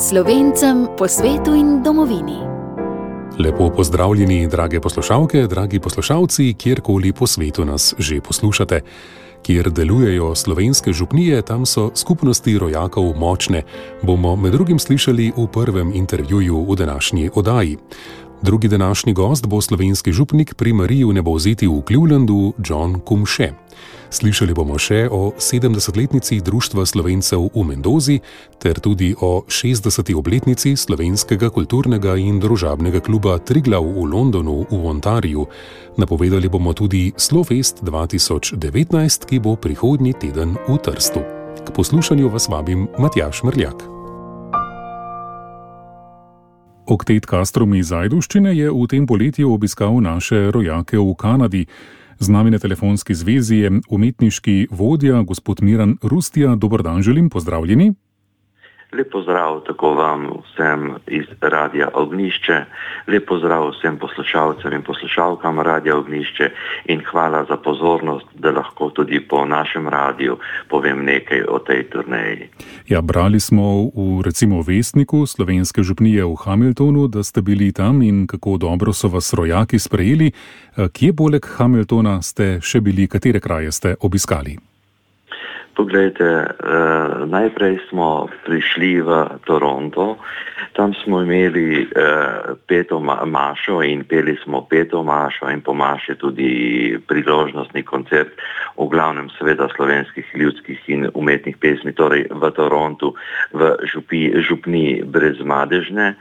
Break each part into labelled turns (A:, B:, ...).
A: Slovencem po svetu in domovini.
B: Lepo pozdravljeni, drage poslušalke, dragi poslušalci, kjerkoli po svetu nas že poslušate. Kjer delujejo slovenske župnije, tam so skupnosti rojakov močne, bomo med drugim slišali v prvem intervjuju v današnji oddaji. Drugi današnji gost bo slovenski župnik pri Mariji v Nebovzeti v Clevelandu, John Kumše. Slišali bomo še o 70-letnici Društva Slovencev v Mendozi ter tudi o 60. obletnici Slovenskega kulturnega in družabnega kluba Triglav v Londonu v Ontariju. Napovedali bomo tudi Slofest 2019, ki bo prihodnji teden v Trstu. K poslušanju vas vabim Matjaž Mrljak. Oktet Kastrom iz Ajdovščine je v tem poletju obiskal naše rojake v Kanadi. Z nami na telefonski zvezi je umetniški vodja, gospod Miran Rustija. Dober dan želim, pozdravljeni.
C: Lep pozdrav tako vam vsem iz Radia Ognjišče, lep pozdrav vsem poslušalcem in poslušalkam Radia Ognjišče in hvala za pozornost, da lahko tudi po našem radiju povem nekaj o tej turneji.
B: Ja, brali smo v recimo Vestniku slovenske župnije v Hamiltonu, da ste bili tam in kako dobro so vas rojaki sprejeli. Kje poleg Hamiltona ste še bili, katere kraje ste obiskali?
C: Poglejte, najprej smo prišli v Toronto, tam smo imeli peto mašo in peli smo peto mašo in po maši tudi priložnostni koncert, v glavnem seveda slovenskih ljudskih in umetnih pesmi, torej v Torontu, v župniji Brezmadežne.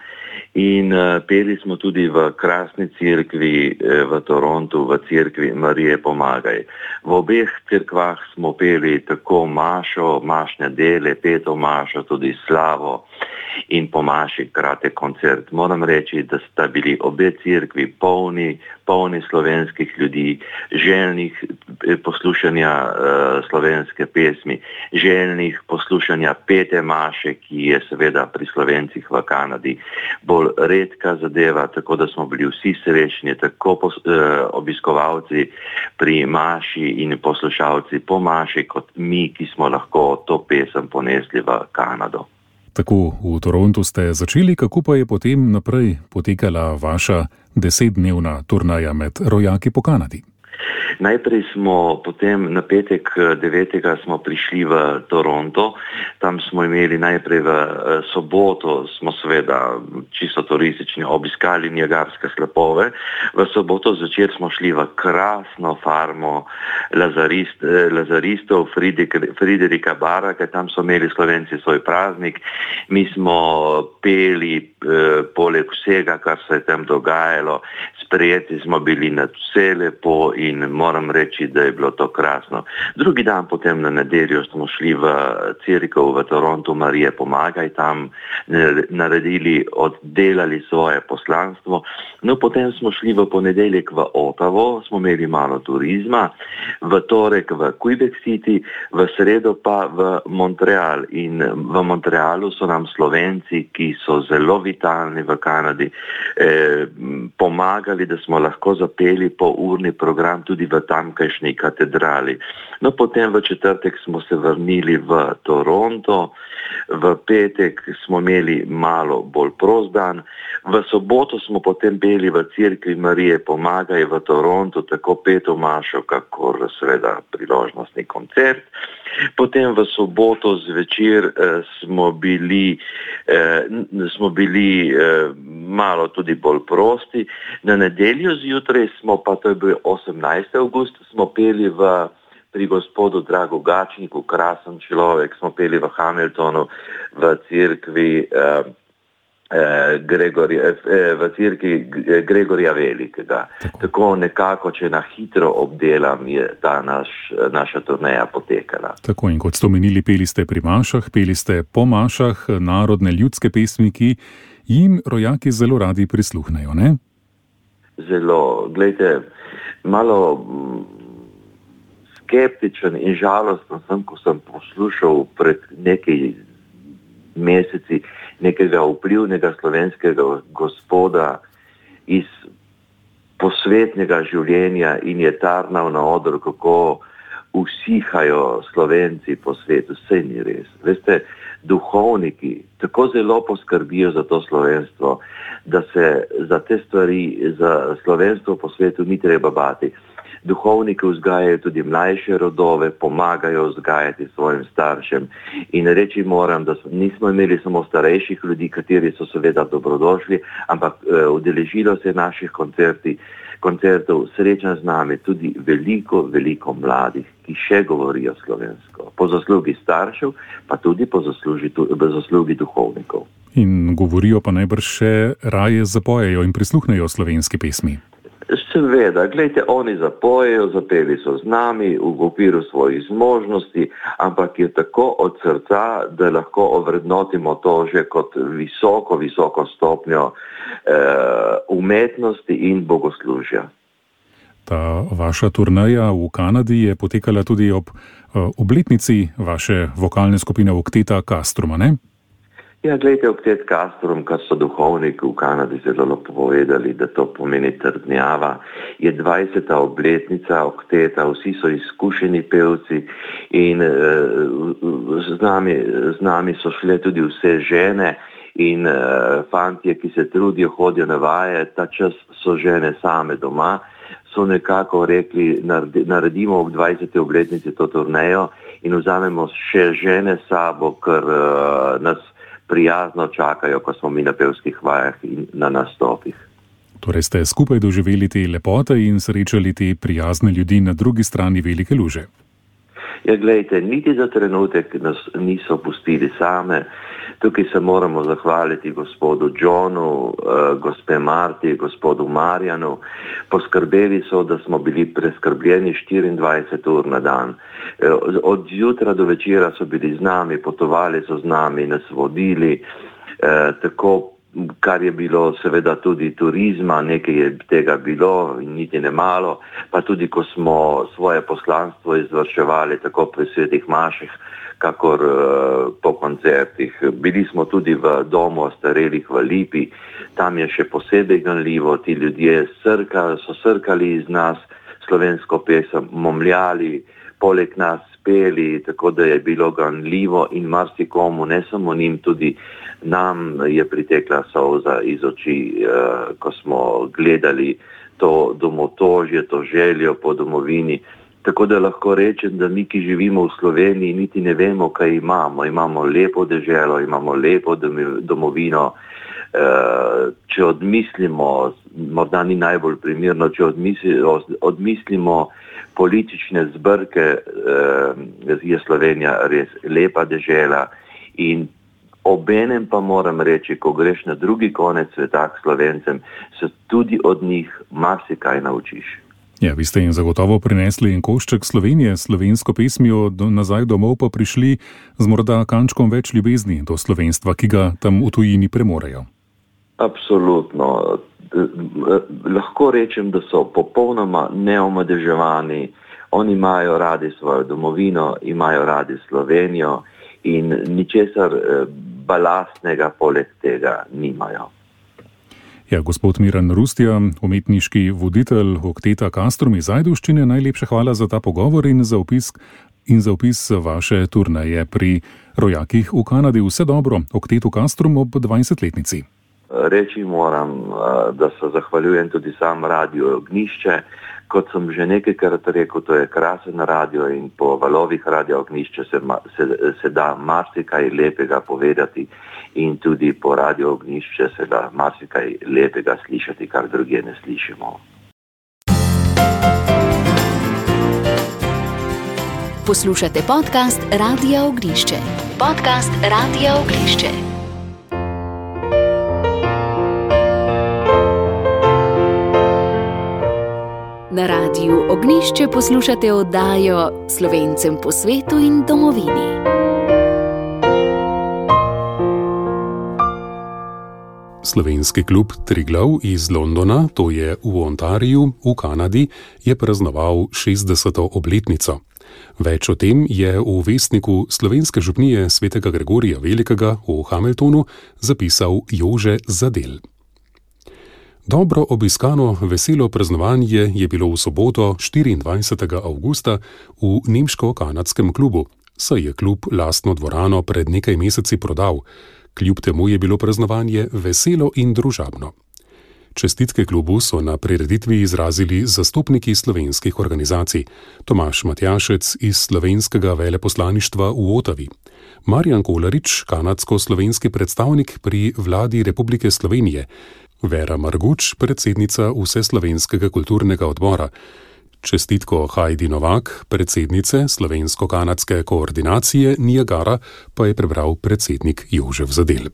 C: In peli smo tudi v krasni cerkvi v Torontu, v cerkvi Marije Pomagaj. V obeh cerkvah smo peli tako mašo, mašne dele, peto mašo, tudi slavo in po maši kratek koncert. Moram reči, da sta bili obe cerkvi polni slovenskih ljudi, željnih poslušanja slovenske pesmi, željnih poslušanja pete maše, ki je seveda pri Slovencih v Kanadi bolj redka zadeva, tako da smo bili vsi srečni, tako obiskovalci pri maši in poslušalci po maši, kot mi, ki smo lahko to pesem ponesli v Kanado.
B: Tako, v Torontu ste začeli, kako pa je potem naprej potekala vaša 10-dnevna turnaja med rojaki po Kanadi?
C: Najprej smo potem na petek 9. smo prišli v Toronto, tam smo imeli najprej v soboto, smo seveda čisto turistični obiskali Niagarske slapove, v soboto zvečer smo šli v krasno farmo lazaristov Friderika Baraka, tam so imeli Slovenci svoj praznik, mi smo peli poleg vsega, kar se je tam dogajalo, sprejeti smo bili na vse lepo in moram reči, da je bilo to krasno. Drugi dan potem na nedeljo smo šli v cerkev v Torontu Marije Pomagaj, tam oddelali svoje poslanstvo. No, potem smo šli v ponedeljek v Ottavo, smo imeli malo turizma, v torek v Quebec City, v sredo pa v Montreal. In v Montrealu so nam Slovenci, ki so zelo vitalni v Kanadi, pomagali, da smo lahko zapeli urni program tudi v tamkajšnji katedrali. No, potem v četrtek smo se vrnili v Toronto, v petek smo imeli malo bolj prost dan, v soboto smo potem peli v cerkvi Marije Pomagaj v Torontu, tako peto mašo, kakor seveda priložnostni koncert. Potem v soboto zvečer smo bili malo tudi bolj prosti. Na nedeljo zjutraj smo pa, to je bil 18. avgust, smo peli pri gospodu Dragu Gačniku, krasen človek, smo peli v Hamiltonu, v cerkvi Gregorja Velikega. Tako nekako, če na hitro obdelam, je ta naša turneja potekala.
B: Tako, in kot ste omenili, peli ste pri mašah, peli ste po mašah, narodne ljudske pesmi, ki jim rojaki zelo radi prisluhnejo, ne?
C: Zelo. Glejte, malo skeptičen in žalosten sem, ko sem poslušal pred nekaj meseci nekega vplivnega slovenskega gospoda iz posvetnega življenja in je tarnal na odru, kako usihajo Slovenci po svetu. Saj ni res. Veste, duhovniki tako zelo poskrbijo za to slovenstvo, da se za te stvari, za slovenstvo po svetu ni treba bati. Duhovniki vzgajajo tudi mlajše rodove, pomagajo vzgajati svojim staršem in reči moram, da nismo imeli samo starejših ljudi, kateri so seveda dobrodošli, ampak udeležilo se naših koncertov, sreča z nami tudi veliko mladih, ki še govorijo slovensko. Po zaslugi staršev, pa tudi po zaslugi duhovnikov.
B: In govorijo pa najbrž še raje zapojejo in prisluhnejo slovenski pesmi.
C: Seveda, gledajte, oni zapojejo, zapeli so z nami v okviru svojih zmožnosti, ampak je tako od srca, da lahko ovrednotimo to že kot visoko stopnjo umetnosti in bogoslužja.
B: Ta vaša turneja v Kanadi je potekala tudi ob obletnici vaše vokalne skupine Okteta Castruma, ne?
C: Ja, gledajte, Oktet Castrum, kar so duhovniki v Kanadi zelo povedali, da to pomeni trdnjava, je 20. obletnica Okteta, vsi so izkušeni pevci in z nami so šle tudi vse žene in fantje, ki se trudijo, hodijo na vaje, ta čas so žene same doma, so nekako rekli, naredimo ob 20. obletnici to turnejo in vzamemo še žene sabo, ker nas prijazno čakajo, ko smo mi na pevskih vajah in na nastopih.
B: Torej ste skupaj doživeli te lepote in srečali te prijazne ljudi na drugi strani velike luže.
C: Ja, gledajte, niti za trenutek nas niso pustili same. Tukaj se moramo zahvaliti gospodu Johnu, gospe Marti, gospodu Marjanu. Poskrbeli so, da smo bili preskrbljeni 24 ur na dan. Od jutra do večera so bili z nami, potovali so z nami, nas vodili, tako, kar je bilo seveda tudi turizma, nekaj je tega bilo in niti ne malo, pa tudi ko smo svoje poslanstvo izvrševali tako pri svetih maših, kakor po koncertih. Bili smo tudi v domu ostarelih v Lipi, tam je še posebej ganljivo, ti ljudje so srkali iz nas slovensko pesem, momljali, poleg nas peli, tako da je bilo ganljivo in marsikomu, ne samo njim, tudi nam je pritekla solza iz oči, ko smo gledali to domotožje, to željo po domovini. Tako da lahko rečem, da mi, ki živimo v Sloveniji, niti ne vemo, kaj imamo. Imamo lepo deželo, imamo lepo domovino. Če odmislimo, morda ni najbolj primerno, če odmislimo politične zbrke, je Slovenija res lepa dežela in obenem pa moram reči, ko greš na drugi konec sveta k Slovencem, se tudi od njih marsikaj naučiš.
B: Ja, vi ste jim zagotovo prinesli en košček Slovenije, slovensko pesmijo, nazaj domov pa prišli z morda kančkom več ljubezni do slovenstva, ki ga tam v tujini premorejo.
C: Absolutno. Lahko rečem, da so popolnoma neomadeževani. Oni imajo radi svojo domovino, imajo radi Slovenijo in ničesar balastnega poleg tega nimajo.
B: Ja, gospod Miran Rustja, umetniški voditelj Okteta Castrum iz Ajdovščine, najlepša hvala za ta pogovor in za opis vaše turneje pri rojakih v Kanadi. Vse dobro Oktetu Castrum ob 20-letnici.
C: Reči moram, da se zahvaljujem tudi sam Radio Ognjišče. Kot sem že nekajkrat rekel, to je krasen radio in po valovih Radio Ognjišče se da marsikaj lepega povedati in tudi po Radio Ognjišče se da marsikaj lepega slišati, kar drugje ne slišimo.
A: Poslušate podcast Radia Ognjišče. Podcast Radia Ognjišče. Na Radiu Ognjišče poslušate oddajo Slovencem po svetu in domovini.
B: Slovenski klub Triglav iz Londona, to je v Ontariju, v Kanadi, je praznoval 60. obletnico. Več o tem je v vestniku Slovenske župnije svetega Gregorija Velikega v Hamiltonu zapisal Jože Zadel. Dobro obiskano veselo praznovanje je bilo v soboto 24. avgusta v nemško-kanadskem klubu. saj je klub lastno dvorano pred nekaj meseci prodal. Kljub temu je bilo praznovanje veselo in družabno. Čestitke klubu so na prireditvi izrazili zastopniki slovenskih organizacij, Tomaž Matjašec iz slovenskega veleposlaništva v Otavi, Marjan Kolarič, kanadsko-slovenski predstavnik pri vladi Republike Slovenije, Vera Marguč, predsednica Vseslovenskega kulturnega odbora, čestitko Heidi Novak, predsednice slovensko-kanadske koordinacije Niagara, pa je prebral predsednik Jožef Zadel.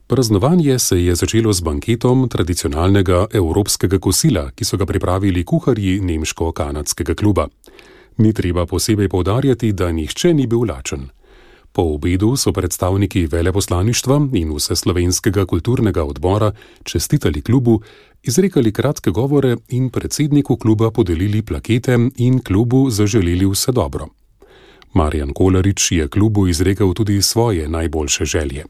B: Praznovanje se je začelo z banketom tradicionalnega evropskega kosila, ki so ga pripravili kuharji nemško-kanadskega kluba. Ni treba posebej poudarjati, da nihče ni bil lačen. Po obedu so predstavniki veleposlaništva in Vseslovenskega kulturnega odbora čestitali klubu, izrekali kratke govore in predsedniku kluba podelili plakete in klubu zaželeli vse dobro. Marjan Kolarič je klubu izrekel tudi svoje najboljše želje.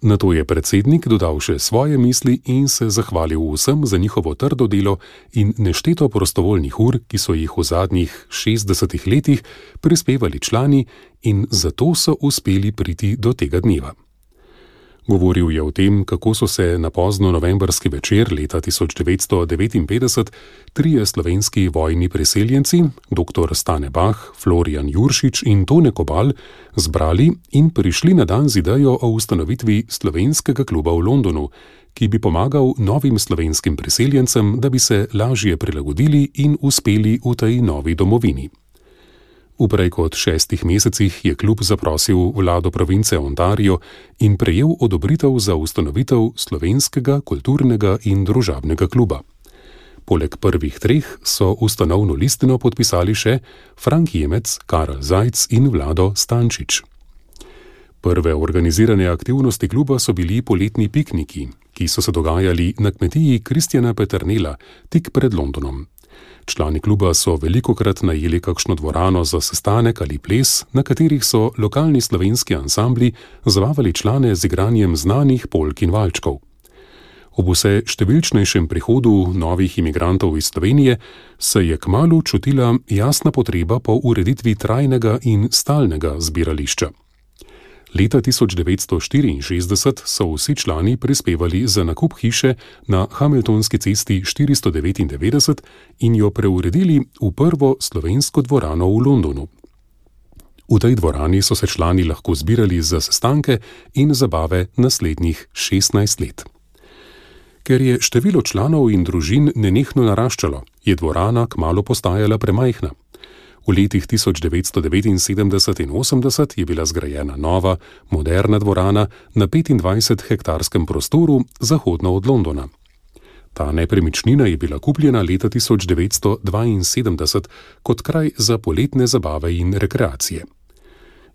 B: Nato je predsednik dodal še svoje misli in se zahvalil vsem za njihovo trdo delo in nešteto prostovoljnih ur, ki so jih v zadnjih 60 letih prispevali člani in zato so uspeli priti do tega dneva. Govoril je o tem, kako so se na pozno novembrski večer leta 1959 trije slovenski vojni priseljenci, dr. Stane Bah, Florijan Juršič in Tone Kobal, zbrali in prišli na dan z idejo o ustanovitvi slovenskega kluba v Londonu, ki bi pomagal novim slovenskim priseljencem, da bi se lažje prilagodili in uspeli v tej novi domovini. V prej kot 6 mesecih je klub zaprosil vlado province Ontario in prejel odobritev za ustanovitev slovenskega kulturnega in družabnega kluba. Poleg prvih 3 so ustanovno listino podpisali še Frank Jemec, Karel Zajc in Vlado Stančič. Prve organizirane aktivnosti kluba so bili poletni pikniki, ki so se dogajali na kmetiji Kristjana Peternela tik pred Londonom. Člani kluba so velikokrat najeli kakšno dvorano za sestanek ali ples, na katerih so lokalni slovenski ansambli zabavali člane z igranjem znanih polk in valčkov. Ob vse številčnejšem prihodu novih imigrantov iz Slovenije se je kmalu čutila jasna potreba po ureditvi trajnega in stalnega zbirališča. Leta 1964 so vsi člani prispevali za nakup hiše na Hamiltonski cesti 499 in jo preuredili v prvo slovensko dvorano v Londonu. V tej dvorani so se člani lahko zbirali za sestanke in zabave naslednjih 16 let. Ker je število članov in družin nenehno naraščalo, je dvorana kmalu postajala premajhna. V letih 1979 in 80 je bila zgrajena nova, moderna dvorana na 25-hektarskem prostoru zahodno od Londona. Ta nepremičnina je bila kupljena leta 1972 kot kraj za poletne zabave in rekreacije.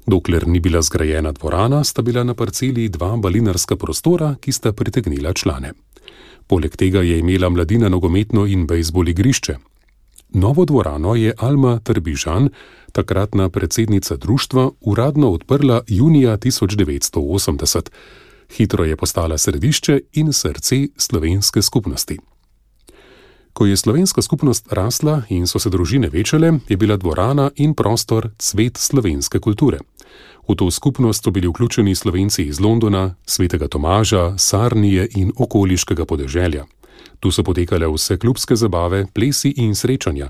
B: Dokler ni bila zgrajena dvorana, sta bila na parceli 2 balinarska prostora, ki sta pritegnila člane. Poleg tega je imela mladina nogometno in bejzbol igrišče. Novo dvorano je Alma Trbižan, takratna predsednica društva, uradno odprla junija 1980. Hitro je postala središče in srce slovenske skupnosti. Ko je slovenska skupnost rasla in so se družine večale, je bila dvorana in prostor cvet slovenske kulture. V to skupnost so bili vključeni Slovenci iz Londona, Svetega Tomaža, Sarnije in okoliškega podeželja. Tu so potekale vse klubske zabave, plesi in srečanja.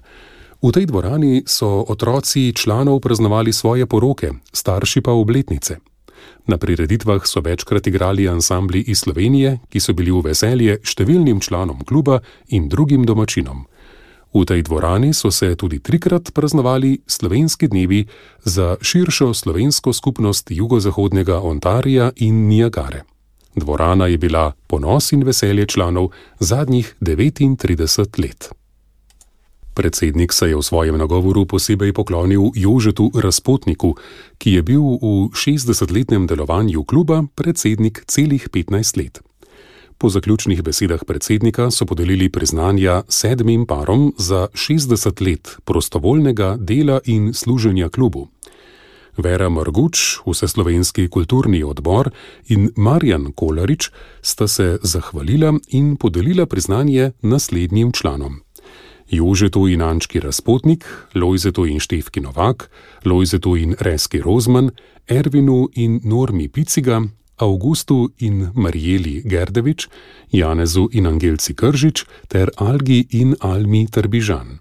B: V tej dvorani so otroci članov praznovali svoje poroke, starši pa obletnice. Na prireditvah so večkrat igrali ansambli iz Slovenije, ki so bili v veselje številnim članom kluba in drugim domačinom. V tej dvorani so se tudi 3-krat praznovali slovenski dnevi za širšo slovensko skupnost jugozahodnega Ontarija in Niagare. Dvorana je bila ponos in veselje članov zadnjih 39 let. Predsednik se je v svojem nagovoru posebej poklonil Jožetu Razpotniku, ki je bil v 60-letnem delovanju kluba predsednik celih 15 let. Po zaključnih besedah predsednika so podelili priznanja 7 parom za 60 let prostovoljnega dela in služenja klubu. Vera Marguč, Vseslovenski kulturni odbor in Marjan Kolarič sta se zahvalila in podelila priznanje naslednjim članom. Jožetu in Ančki Razpotnik, Lojzetu in Štefki Novak, Lojzetu in Reski Rozman, Ervinu in Normi Piciga, Augustu in Marijeli Gerdevič, Janezu in Angelci Kržič ter Algi in Almi Trbižan.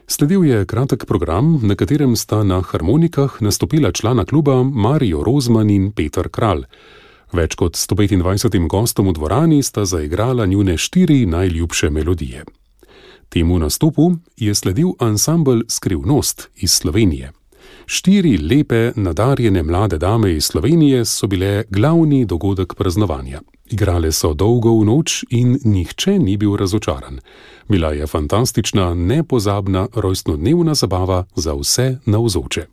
B: Sledil je kratek program, na katerem sta na harmonikah nastopila člana kluba Marijo Rozman in Peter Kralj. Več kot 125 gostom v dvorani sta zaigrala njune 4 najljubše melodije. Temu nastopu je sledil ansambel Skrivnost iz Slovenije. 4 lepe, nadarjene mlade dame iz Slovenije so bile glavni dogodek praznovanja. Igrale so dolgo v noč in nihče ni bil razočaran. Bila je fantastična, nepozabna rojstnodnevna zabava za vse navzoče.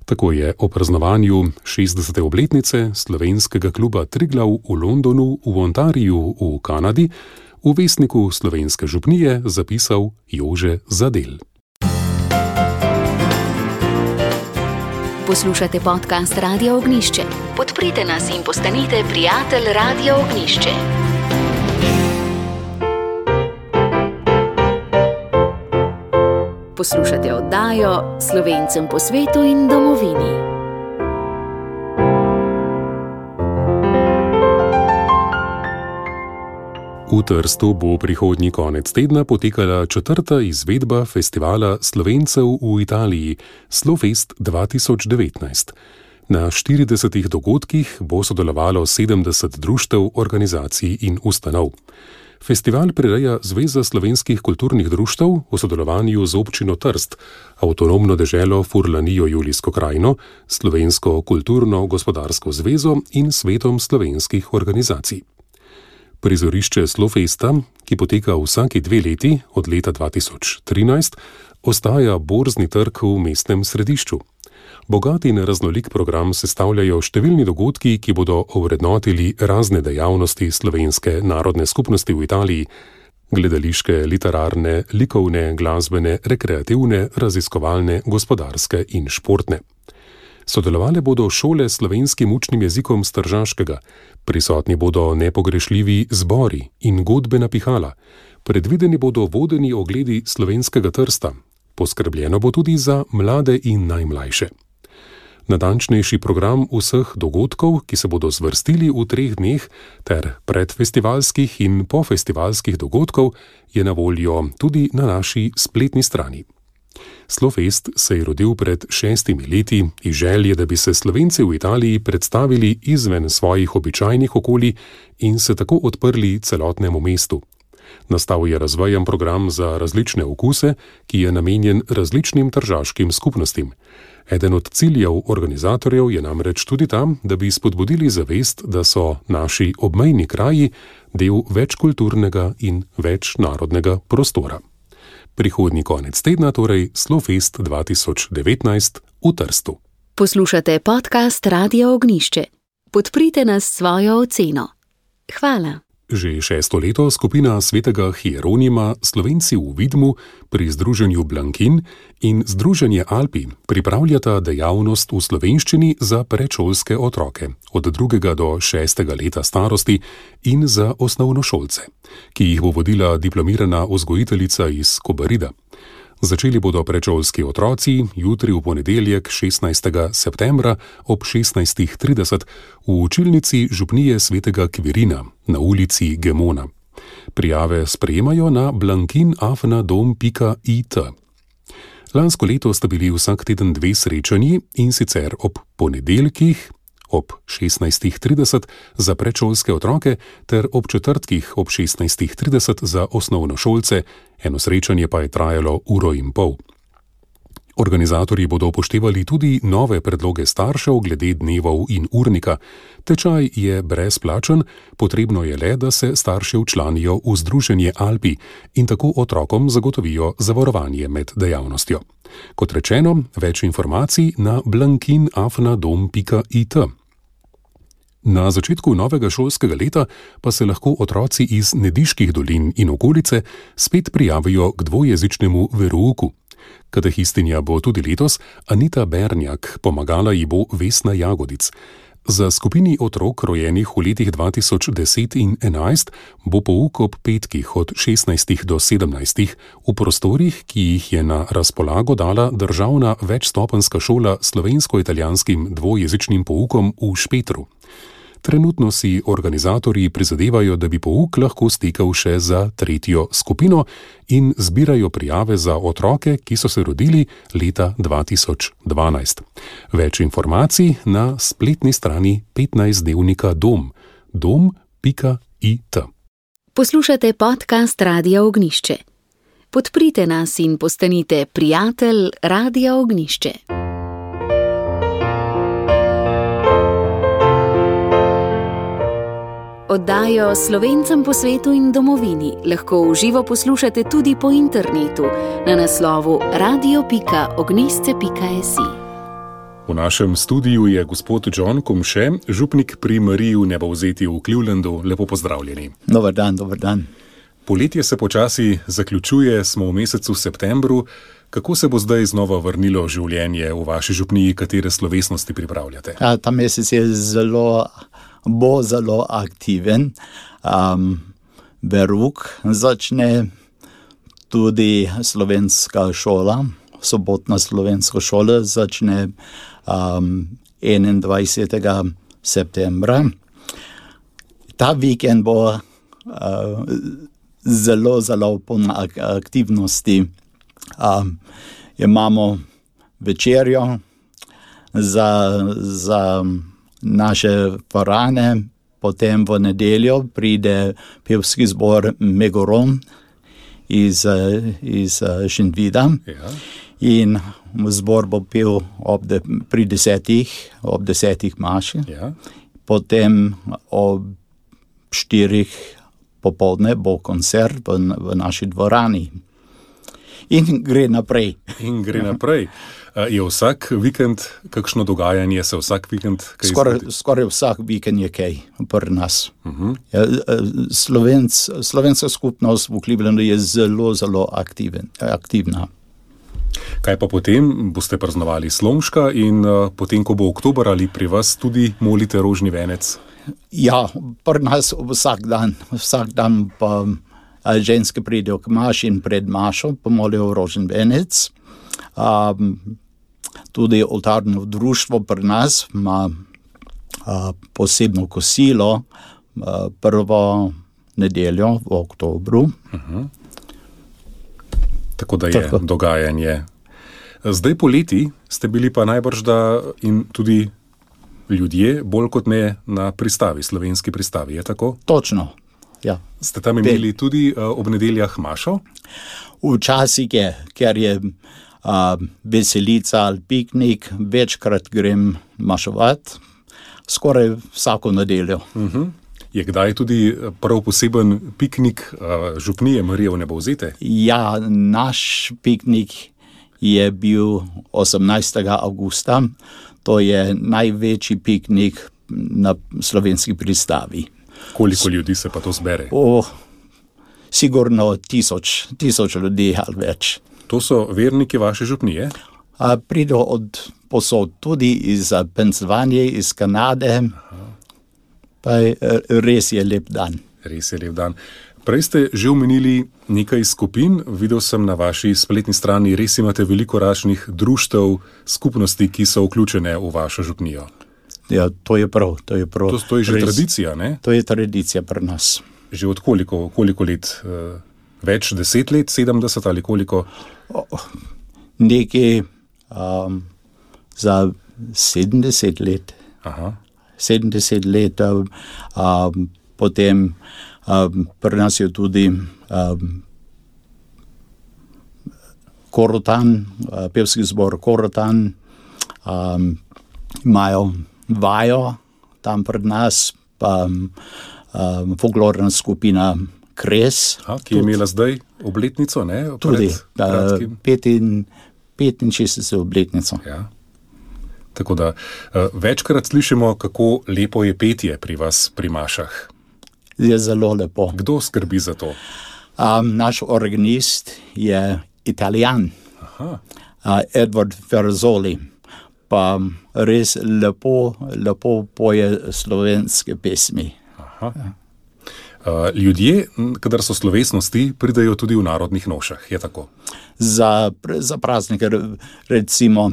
B: Tako je o praznovanju 60. obletnice slovenskega kluba Triglav v Londonu v Ontariju v Kanadi v Vestniku Slovenske župnije zapisal Jože Zadel.
A: Poslušate podcast Radia Ognjišče. Podprite nas in postanite prijatelj Radia Ognjišče. Poslušate oddajo Slovencem po svetu in domovini.
B: V Trstu bo prihodnji konec tedna potekala 4. izvedba festivala Slovencev v Italiji Slofest 2019. Na 40 dogodkih bo sodelovalo 70 društev, organizacij in ustanov. Festival prireja Zveza slovenskih kulturnih društev v sodelovanju z občino Trst, avtonomno deželo Furlanijo Julijsko krajino, Slovensko kulturno-gospodarsko zvezo in Svetom slovenskih organizacij. Prizorišče Slofesta, ki poteka vsaki 2 leti od leta 2013, ostaja borzni trg v mestnem središču. Bogat in raznolik program sestavljajo številni dogodki, ki bodo ovrednotili razne dejavnosti slovenske narodne skupnosti v Italiji: gledališke, literarne, likovne, glasbene, rekreativne, raziskovalne, gospodarske in športne. Sodelovale bodo šole s slovenskim učnim jezikom s Tržaškega, prisotni bodo nepogrešljivi zbori in godbena pihala, predvideni bodo vodeni ogledi slovenskega Trsta, poskrbljeno bo tudi za mlade in najmlajše. Natančnejši program vseh dogodkov, ki se bodo zvrstili v 3 dneh, ter predfestivalskih in pofestivalskih dogodkov, je na voljo tudi na naši spletni strani. Slofest se je rodil pred 6 leti iz želje, da bi se Slovenci v Italiji predstavili izven svojih običajnih okolij in se tako odprli celotnemu mestu. Nastal je razvajan program za različne okuse, ki je namenjen različnim tržaškim skupnostim. Eden od ciljev organizatorjev je namreč tudi tam, da bi spodbudili zavest, da so naši obmejni kraji del večkulturnega in večnarodnega prostora. Prihodnji konec tedna torej Slofest 2019 v Trstu.
A: Poslušate podcast Radia Ognjišče. Podprite nas s svojo oceno. Hvala.
B: Že 6. leto skupina svetega Hieronima Slovenci v Vidmu pri združenju Blankin in združenje Alpi pripravljata dejavnost v slovenščini za predšolske otroke od 2. do 6. leta starosti in za osnovnošolce, ki jih bo vodila diplomirana vzgojiteljica iz Kobarida. Začeli bodo predšolski otroci jutri v ponedeljek 16. septembra ob 16.30 v učilnici župnije svetega Kvirina na ulici Gemona. Prijave sprejemajo na blankinafnadom.it. Lansko leto sta bili vsak teden 2 srečanji, in sicer ob ponedeljkih ob 16.30 za predšolske otroke ter ob četrtkih ob 16.30 za osnovnošolce, eno srečanje pa je trajalo 1,5 ure. Organizatorji bodo upoštevali tudi nove predloge staršev glede dnevov in urnika. Tečaj je brezplačen, potrebno je le, da se starši včlanijo v združenje Alpi in tako otrokom zagotovijo zavarovanje med dejavnostjo. Kot rečeno, več informacij na blankinafnadom.it. Na začetku novega šolskega leta pa se lahko otroci iz Nediških dolin in okolice spet prijavijo k dvojezičnemu verouku. Katehistinja bo tudi letos Anita Bernjak, pomagala ji bo Vesna Jagodic. Za skupini otrok rojenih v letih 2010 in 2011 bo pouk ob petkih od 16 do 17 v prostorih, ki jih je na razpolago dala državna večstopenjska šola s slovensko-italijanskim dvojezičnim poukom v Špetru. Trenutno si organizatorji prizadevajo, da bi pouk lahko stekel še za tretjo skupino in zbirajo prijave za otroke, ki so se rodili leta 2012. Več informacij na spletni strani 15-dnevnika Dom, dom.it.
A: Poslušate podcast Radia Ognjišče. Podprite nas in postanite prijatelj Radia Ognjišče. Oddajo Slovencem po svetu in domovini lahko v živo poslušate tudi po internetu na naslovu radio.ognisce.si.
B: V našem studiu je gospod John Komše, župnik pri Mariji v Nebovzetju v Clevelandu. Lepo pozdravljeni.
D: Dobar dan, dobar dan.
B: Poletje se počasi zaključuje, smo v mesecu septembru. Kako se bo zdaj znova vrnilo življenje v vaši župniji, katere slovesnosti pripravljate?
D: Ta mesec je bo zelo aktiven. Verouk začne tudi slovenska šola, sobotna slovenska šola začne 21. septembra. Ta vikend bo zelo poln aktivnosti. Imamo večerjo za naše dvorane, potem v nedeljo pride pevski zbor Megoron iz Šentvida.
B: Ja.
D: In zbor bo pel pri 10 maši.
B: Ja.
D: Potem ob 4 popoldne bo koncert v naši dvorani. In gre naprej. Je vsak vikend kakšno dogajanje, se vsak vikend kaj Skoraj vsak vikend je kaj pri nas. Slovenska skupnost v Clevelandu je zelo aktivna.
B: Kaj pa potem? Boste praznovali Slomška in potem, ko bo oktober, ali pri vas tudi molite rožni venec?
D: Ja, pri nas vsak dan pa ženske pridejo k maši in pred mašo pomolijo rožni venec. Tudi oltarno društvo pri nas ima posebno kosilo prvo nedeljo v oktobru.
B: Tako da je dogajanje. Zdaj poleti ste bili pa najbrž in tudi ljudje bolj kot ne na pristavi, slovenski pristavi, je tako?
D: Točno, ja.
B: Ste tam imeli tudi ob nedeljah mašo?
D: Včasih je, ker je veselica ali piknik, večkrat grem mašovat, skoraj vsako nedeljo.
B: Je kdaj tudi prav poseben piknik župnije Marije v Nebovzete?
D: Ja, naš piknik je bil 18. avgusta. To je največji piknik na slovenski pristavi.
B: Koliko ljudi se pa to zbere?
D: Sigurno 1000 ljudi ali več.
B: To so verniki vaše župnije?
D: Pridejo od posod, tudi iz Pennsylvanije, iz Kanade. Pa res je lep dan.
B: Res je lep dan. Prej ste že omenili nekaj skupin, videl sem na vaši spletni strani, res imate veliko različnih društev, skupnosti, ki so vključene v vašo župnijo.
D: Ja, to je prav. To je
B: že tradicija, ne?
D: To je tradicija pri nas.
B: Že od koliko let? Več 10 let, 70 ali koliko?
D: Nekaj za 70 let.
B: Aha.
D: 70 let, potem pri nas je tudi Korotan, pevski zbor Korotan, imajo vajo tam pred nas, pa folklorna skupina Kres.
B: Ki je imela zdaj obletnico, ne?
D: Tudi 65. obletnico.
B: Ja. Tako da večkrat slišimo, kako lepo je petje pri vas pri mašah.
D: Je zelo lepo.
B: Kdo skrbi za to?
D: Naš organist je Italijan.
B: Aha.
D: Edward Ferrazzoli. pa res lepo poje slovenske pesmi.
B: Aha. Ljudje, kadar so slovesnosti, pridejo tudi v narodnih nošah, je tako?
D: Za praznike, recimo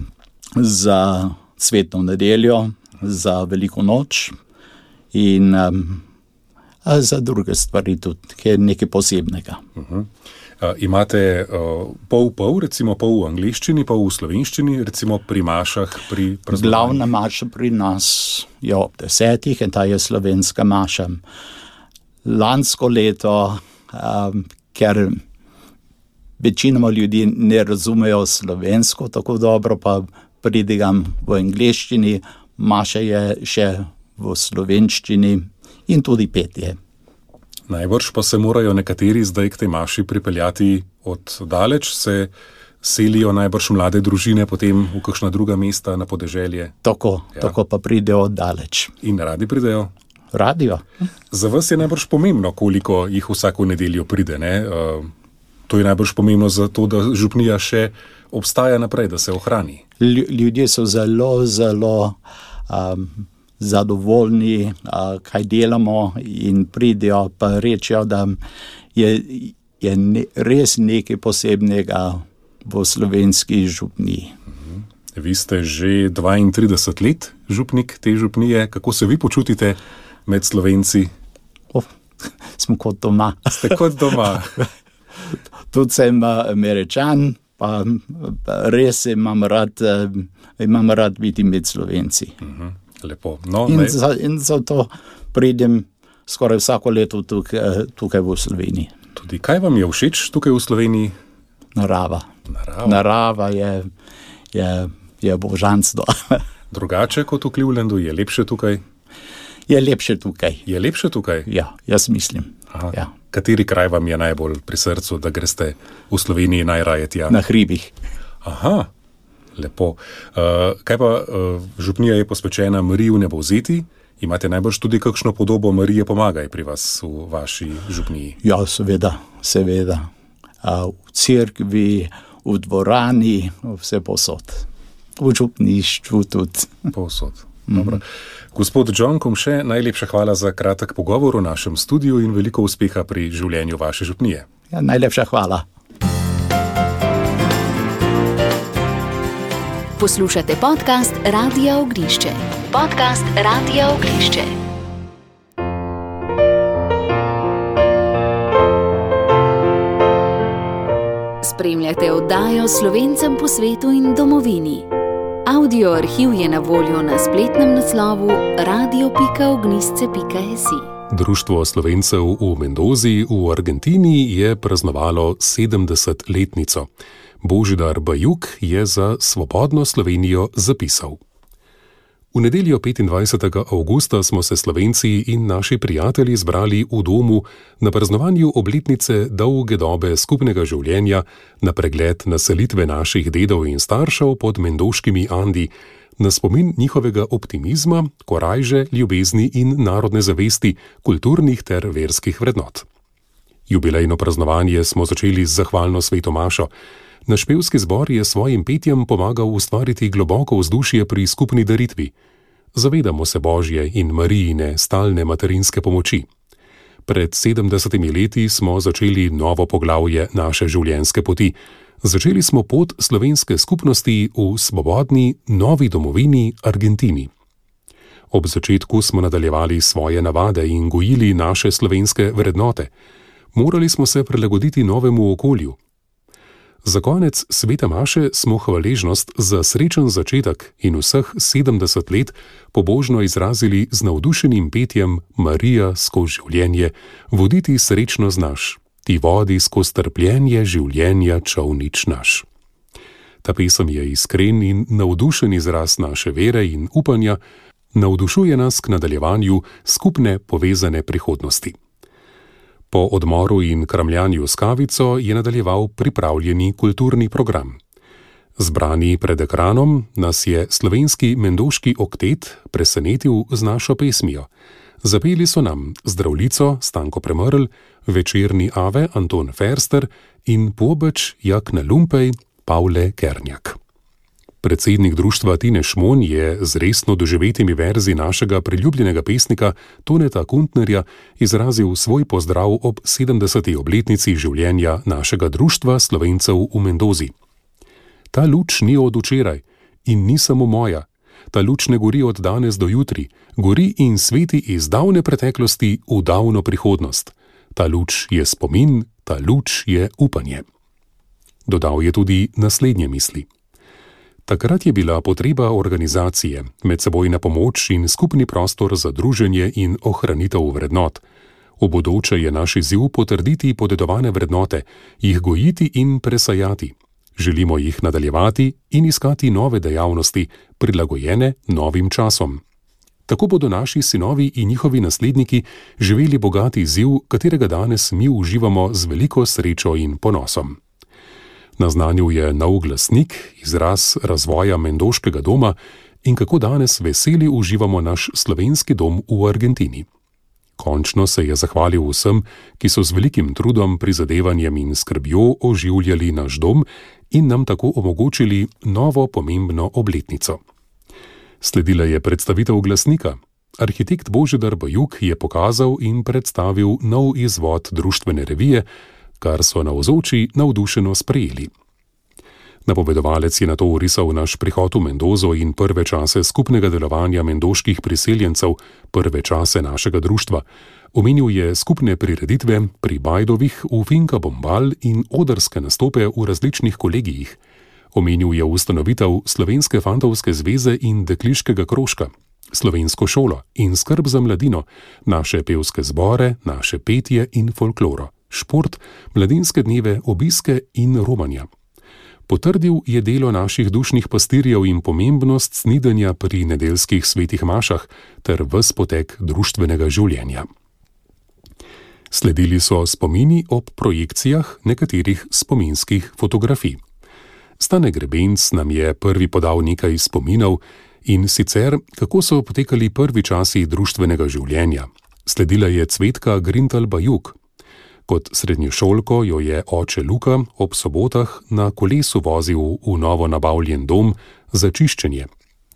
D: za cvetno nedeljo, za veliko noč in za druge stvari tudi, ki je nekaj posebnega.
B: Imate pol, recimo pol v angleščini, pol v slovenščini, recimo pri mašah, pri praznovanju?
D: Glavna maša pri nas je ob 10 in ta je slovenska maša. Lansko leto, ker večinoma ljudi ne razumejo slovensko tako dobro, pa pridigam v angleščini, maša je še v slovenščini in tudi petje.
B: Najbrž pa se morajo nekateri zdaj k tej maši pripeljati od daleč, se selijo najbrž mlade družine potem v kakšna druga mesta na podeželje.
D: Tako pa pridejo od daleč.
B: In radi pridejo?
D: Radijo.
B: Za vas je najbrž pomembno, koliko jih vsako nedeljo pride, ne? To je najbrž pomembno zato, da župnija še obstaja naprej, da se ohrani.
D: Ljudje so zelo zadovoljni, kaj delamo in pridejo pa rečejo, da je res nekaj posebnega v slovenski župniji.
B: Vi ste že 32 let župnik te župnije. Kako se vi počutite med Slovenci?
D: Smo kot doma.
B: Ste kot doma.
D: Tudi sem Američan, pa res imam rad biti med Slovenci.
B: Lepo. No,
D: in zato pridem skoraj vsako leto tukaj v Sloveniji.
B: Tudi kaj vam je všeč tukaj v Sloveniji?
D: Narava je božanstvo.
B: Drugače kot v Clevelandu, je lepše tukaj?
D: Je lepše tukaj.
B: Je lepše tukaj?
D: Ja, jaz mislim. Ja.
B: Kateri kraj vam je najbolj pri srcu, da greste v Sloveniji najraje tja?
D: Na hribih.
B: Aha, lepo. Kaj pa župnija je posvečena Mariji v Nebovzeti? Imate najbrž tudi kakšno podobo Marije Pomagaj pri vas v vaši župniji? Ja,
D: seveda. V cerkvi, v dvorani, vse posod. V župništvu tudi.
B: Posod. Dobro. Gospod John Komše, najlepša hvala za kratek pogovor v našem studiu in veliko uspeha pri življenju vaše župnije.
D: Ja, najlepša hvala.
A: Poslušate podcast Radia Ognjišče. Podcast Radia Ognjišče. Spremljate oddajo Slovencem po svetu in domovini. Audio arhiv je na voljo na spletnem naslovu radio.ognisce.si.
B: Društvo Slovencev v Mendozi v Argentini je praznovalo 70-letnico. Božidar Bajuk je za Svobodno Slovenijo zapisal: V nedeljo 25. avgusta smo se Slovenci in naši prijatelji zbrali v domu na praznovanju obletnice dolge dobe skupnega življenja, na pregled naselitve naših dedov in staršev pod mendoškimi Andi, na spomin njihovega optimizma, korajže, ljubezni in narodne zavesti, kulturnih ter verskih vrednot. Jubilejno praznovanje smo začeli z zahvalno sveto mašo. Naš pevski zbor je svojim petjem pomagal ustvariti globoko vzdušje pri skupni daritvi. Zavedamo se Božje in Marijine stalne materinske pomoči. Pred 70 leti smo začeli novo poglavje naše življenjske poti. Začeli smo pot slovenske skupnosti v svobodni, novi domovini Argentini. Ob začetku smo nadaljevali svoje navade in gojili naše slovenske vrednote. Morali smo se prilagoditi novemu okolju. Za konec svete maše smo hvaležnost za srečen začetek in vseh 70 let pobožno izrazili z navdušenim petjem Marija skozi življenje, voditi srečno znaš, ti vodi skozi trpljenje življenja čolnič naš. Ta pesem je iskren in navdušen izraz naše vere in upanja, navdušuje nas k nadaljevanju skupne povezane prihodnosti. Po odmoru in kramljanju s kavico je nadaljeval pripravljeni kulturni program. Zbrani pred ekranom nas je slovenski mendoški oktet presenetil z našo pesmijo. Zapeli so nam Zdravljico Stanko Premrl, Večerni Ave Anton Ferster in Pobeč Jak na Lumpej Pavle Kernjak. Predsednik društva Tine Šmon je z resno doživetimi verzi našega priljubljenega pesnika Toneta Kuntnerja izrazil svoj pozdrav ob 70. obletnici življenja našega društva Slovencev v Mendozi. Ta luč ni od včeraj in ni samo moja. Ta luč ne gori od danes do jutri, gori in sveti iz davne preteklosti v davno prihodnost. Ta luč je spomin, ta luč je upanje. Dodal je tudi naslednje misli. Takrat je bila potreba organizacije, medsebojna pomoč in skupni prostor za druženje in ohranitev vrednot. V bodoče je naš izziv potrditi podedovane vrednote, jih gojiti in presajati. Želimo jih nadaljevati in iskati nove dejavnosti, prilagojene novim časom. Tako bodo naši sinovi in njihovi nasledniki živeli bogati izziv, katerega danes mi uživamo z veliko srečo in ponosom. Naznanil je nov glasnik, izraz razvoja mendoškega doma in kako danes veseli uživamo naš slovenski dom v Argentini. Končno se je zahvalil vsem, ki so z velikim trudom, prizadevanjem in skrbjo oživljali naš dom in nam tako omogočili novo pomembno obletnico. Sledila je predstavitev glasnika. Arhitekt Božidar Bajuk je pokazal in predstavil nov izvod društvene revije, kar so navzoči navdušeno sprejeli. Napovedovalec je nato orisal naš prihod v Mendozo in prve čase skupnega delovanja mendoških priseljencev, prve čase našega društva. Omenil je skupne prireditve pri Bajdovih v Finka Bombal in odrske nastope v različnih kolegijih. Omenil je ustanovitev Slovenske fantovske zveze in dekliškega krožka, slovensko šolo in skrb za mladino, naše pevske zbore, naše petje in folkloro, šport, mladinske dneve, obiske in romanja. Potrdil je delo naših dušnih pastirjev in pomembnost snidenja pri nedeljskih svetih mašah ter ves potek društvenega življenja. Sledili so spomini ob projekcijah nekaterih spominskih fotografij. Stane Grebenc nam je prvi podal nekaj spominov in sicer, kako so potekali prvi časi društvenega življenja. Sledila je Cvetka Grintal Bajuk. Kot srednješolko jo je oče Luka ob sobotah na kolesu vozil v novo nabavljen dom za čiščenje.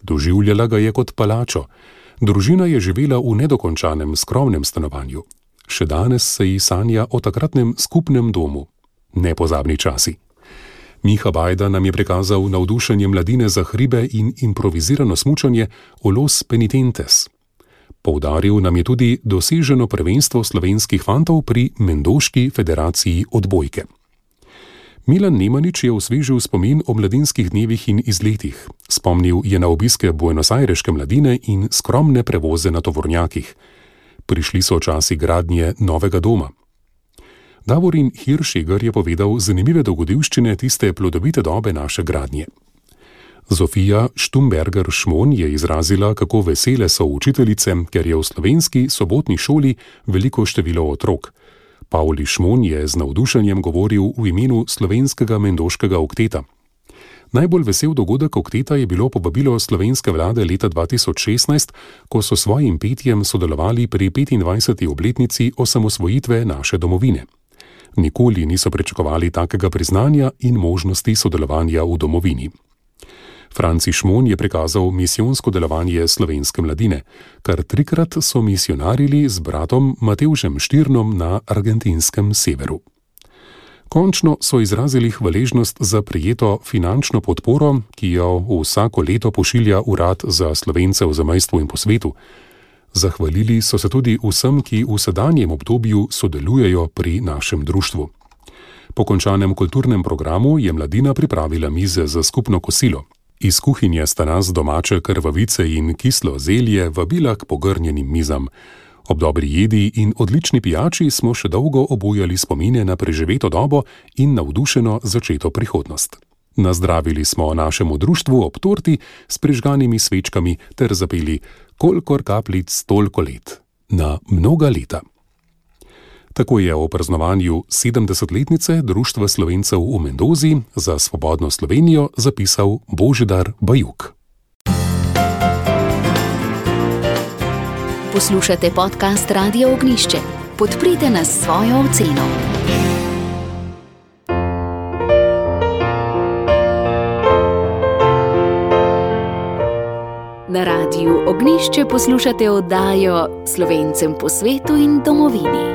B: Doživljala ga je kot palačo. Družina je živela v nedokončanem, skromnem stanovanju. Še danes se ji sanja o takratnem skupnem domu. Nepozabni časi. Miha Bajda nam je prikazal navdušenje mladine za hribe in improvizirano smučanje o Los Penitentes. Poudaril nam je tudi doseženo prvenstvo slovenskih fantov pri Mendoški federaciji odbojke. Milan Nemanič je osvežil spomin o mladinskih dnevih in izletih. Spomnil je na obiske buenosajreške mladine in skromne prevoze na tovornjakih. Prišli so časi gradnje novega doma. Davorin Hiršegar je povedal zanimive dogodivščine tiste plodovite dobe naše gradnje. Zofija Štumberger-Šmon je izrazila, kako vesele so učiteljice, ker je v slovenski sobotni šoli veliko število otrok. Pavli Šmon je z navdušenjem govoril v imenu slovenskega mendoškega okteta. Najbolj vesel dogodek okteta je bilo povabilo slovenske vlade leta 2016, ko so svojim petjem sodelovali pri 25. obletnici osamosvojitve naše domovine. Nikoli niso pričakovali takega priznanja in možnosti sodelovanja v domovini. Franci Šmon je prikazal misijonsko delovanje slovenske mladine, kar 3-krat so misionarili z bratom Matevžem Štirnom na argentinskem severu. Končno so izrazili hvaležnost za prejeto finančno podporo, ki jo vsako leto pošilja Urad za Slovence v zamejstvu in po svetu. Zahvalili so se tudi vsem, ki v sedanjem obdobju sodelujejo pri našem društvu. Po končanem kulturnem programu je mladina pripravila mize za skupno kosilo. Iz kuhinje sta nas domače krvavice in kislo zelje vabila k pogrnjenim mizam. Ob dobri jedi in odlični pijači smo še dolgo obujali spomine na preživeto dobo in navdušeno začeto prihodnost. Nazdravili smo našemu društvu ob torti s prižganimi svečkami ter zapeli Kolikor kapljic, toliko let. Na mnoga leta. Tako je o praznovanju 70-letnice Društva Slovencev v Mendozi za Svobodno Slovenijo zapisal Božidar Bajuk.
A: Poslušate podcast Radia Ognjišče. Podprite nas s svojo oceno. Na Radiu Ognjišče poslušate oddajo Slovencem po svetu in domovini.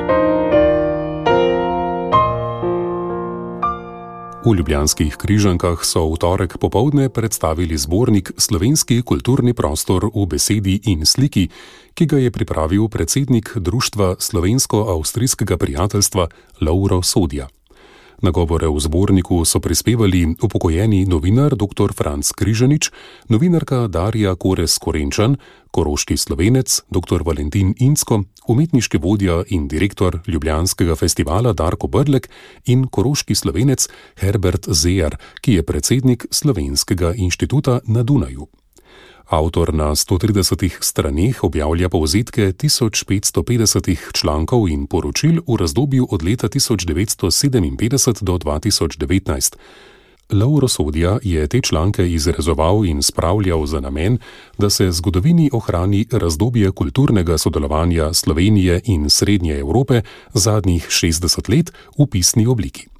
B: V ljubljanskih Križankah so v torek popoldne predstavili zbornik Slovenski kulturni prostor v besedi in sliki, ki ga je pripravil predsednik Društva slovensko-avstrijskega prijateljstva Lovro Sodja. Nagovore v zborniku so prispevali upokojeni novinar dr. Franc Križanič, novinarka Darja Korez-Korenčan, koroški Slovenec dr. Valentin Incko, umetniški vodja in direktor Ljubljanskega festivala Darko Brlek in koroški Slovenec Herbert Zejar, ki je predsednik Slovenskega inštituta na Dunaju. Avtor na 130 straneh objavlja povzetke 1550 člankov in poročil v razdobju od leta 1957 do 2019. Lovro Sodja je te članke izrezoval in spravljal za namen, da se zgodovini ohrani razdobje kulturnega sodelovanja Slovenije in Srednje Evrope zadnjih 60 let v pisni obliki.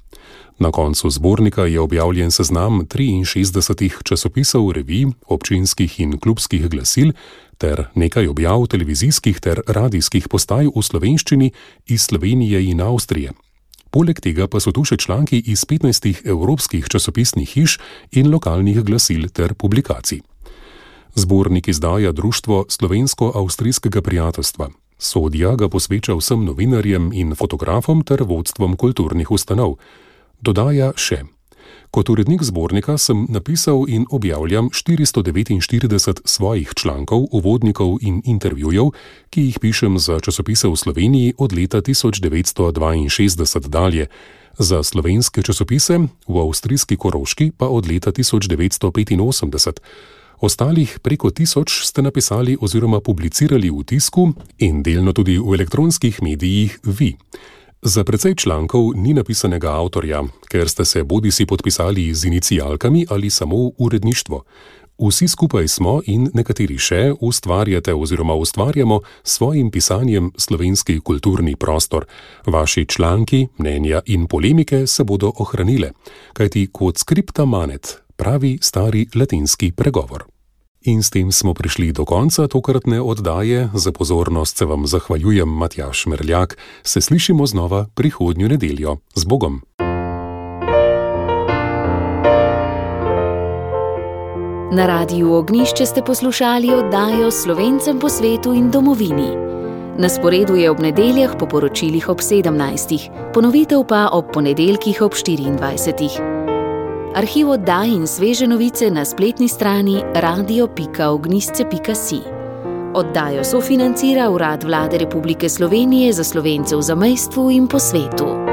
B: Na koncu zbornika je objavljen seznam 63 časopisov, revij, občinskih in klubskih glasil ter nekaj objav televizijskih ter radijskih postaj v slovenščini iz Slovenije in Avstrije. Poleg tega pa so tu še članki iz 15 evropskih časopisnih hiš in lokalnih glasil ter publikacij. Zbornik izdaja Društvo slovensko-avstrijskega prijateljstva. Sodja ga posveča vsem novinarjem in fotografom ter vodstvom kulturnih ustanov. Dodaja še: kot urednik zbornika sem napisal in objavljam 449 svojih člankov, uvodnikov in intervjujev, ki jih pišem za časopise v Sloveniji od leta 1962 dalje, za slovenske časopise v avstrijski Koroški pa od leta 1985. Ostalih preko 1000 ste napisali oziroma publicirali v tisku in delno tudi v elektronskih medijih vi. Za precej člankov ni napisanega avtorja, ker ste se bodisi podpisali z inicialkami ali samo uredništvo. Vsi skupaj smo in nekateri še ustvarjate oziroma ustvarjamo s svojim pisanjem slovenski kulturni prostor. Vaši članki, mnenja in polemike se bodo ohranile, kajti quod scripta manet, pravi stari latinski pregovor. In s tem smo prišli do konca tokratne oddaje. Za pozornost se vam zahvaljujem, Matjaž Merljak. Se slišimo znova prihodnjo nedeljo. Z Bogom!
A: Na Radiu Ognjišče ste poslušali oddajo Slovencem po svetu in domovini. Na sporedu je ob nedeljah po poročilih ob 17. Ponovitev pa ob ponedeljkih ob 24. Arhiv oddaj in sveže novice na spletni strani radio.ognjisce.si. Oddajo sofinancira Urad Vlade Republike Slovenije za Slovence v zamejstvu in po svetu.